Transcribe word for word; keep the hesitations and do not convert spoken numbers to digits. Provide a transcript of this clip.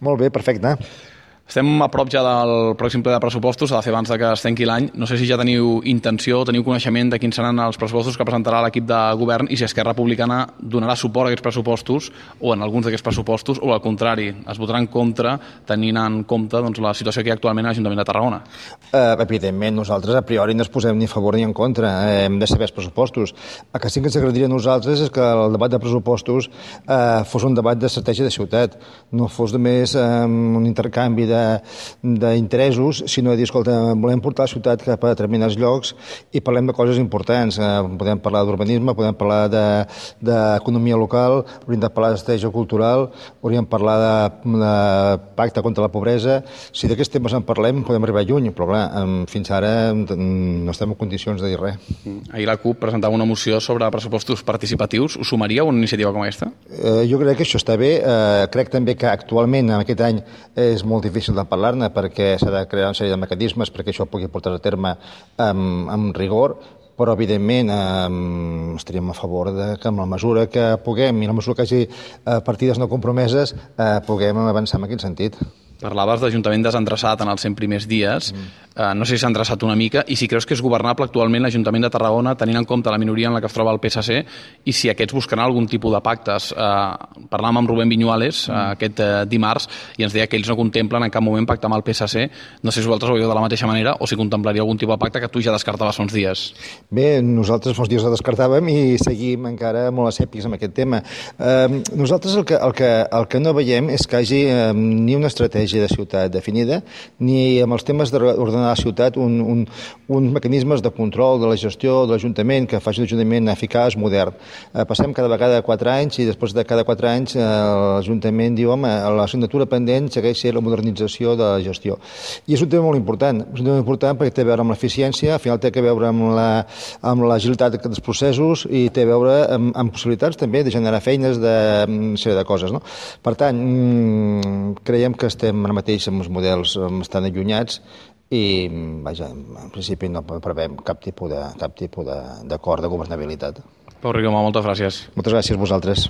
Molt bé, perfecte. Estem a prop ja del pròxim ple de pressupostos, ha de fer abans de que es tanqui l'any. No sé si ja teniu intenció, teniu coneixement de quins seran els pressupostos que presentarà l'equip de govern i si Esquerra Republicana donarà suport a aquests pressupostos o en alguns d'aquests pressupostos o al contrari, es votarà en contra tenint en compte doncs, la situació que hi ha actualment a l'Ajuntament de Tarragona. Uh, evidentment, nosaltres a priori no ens posem ni a favor ni en contra. Uh, hem de saber els pressupostos. El que sí que ens agradaria a nosaltres és que el debat de pressupostos uh, fos un debat d'estratègia de ciutat, no fos només um, un intercanvi de d'interessos, sinó de dir, escolta, volem portar la ciutat cap a determinats llocs i parlem de coses importants. Eh, podem parlar d'urbanisme, podem parlar d'economia de, local, hauríem de parlar d'estratègia cultural, hauríem de parlar de, de pacte contra la pobresa. Si d'aquests temes en parlem, podem arribar lluny, però clar, fins ara no estem en condicions de dir res. Ahir la CUP presentava una moció sobre pressupostos participatius. Us sumaria una iniciativa com aquesta? Eh, jo crec que això està bé. Eh, crec també que actualment, en aquest any, és molt difícil de parlar-ne perquè s'ha de crear una sèrie de mecanismes perquè això pugui portar a terme amb, amb rigor, però evidentment eh, estaríem a favor de que amb la mesura que puguem i la mesura que hi hagi eh, partides no compromeses eh, puguem avançar en aquest sentit. Parlaves d'Ajuntament desendreçat en els cent primers dies. Mm. Uh, no sé si s'ha endreçat una mica i si creus que és governable actualment l'Ajuntament de Tarragona tenint en compte la minoria en la que es troba el P S C i si aquests buscaran algun tipus de pactes. Uh, parlàvem amb Rubén Viñuales uh, aquest uh, dimarts i ens deia que ells no contemplen en cap moment pactar amb el P S C. No sé si vosaltres ho veieu de la mateixa manera o si contemplaria algun tipus de pacte que tu ja descartaves fa uns dies. Bé, nosaltres fa uns dies la descartàvem i seguim encara molt escèptics amb aquest tema. Uh, nosaltres el que, el, que, el que no veiem és que hi hagi uh, ni una estratègia de ciutat definida, ni amb els temes d'ordenar la ciutat un, un, uns mecanismes de control de la gestió de l'Ajuntament que faci l'Ajuntament eficaç, modern. Eh, passem cada vegada quatre anys i després de cada quatre anys eh, l'Ajuntament diu, home, l'assignatura pendent segueix sent la modernització de la gestió. I és un tema molt important, és un tema important perquè té a veure amb l'eficiència, al final té a veure amb la, amb l'agilitat dels processos i té a veure amb, amb possibilitats també de generar feines de una sèrie de coses. No? Per tant, mmm, creiem que estem ara mateix amb els models estan allunyats i, vaja, en principi no prevem cap tipus de, cap tipus d'acord de, de governabilitat. Pau Rigoma, moltes gràcies. Moltes gràcies a vosaltres.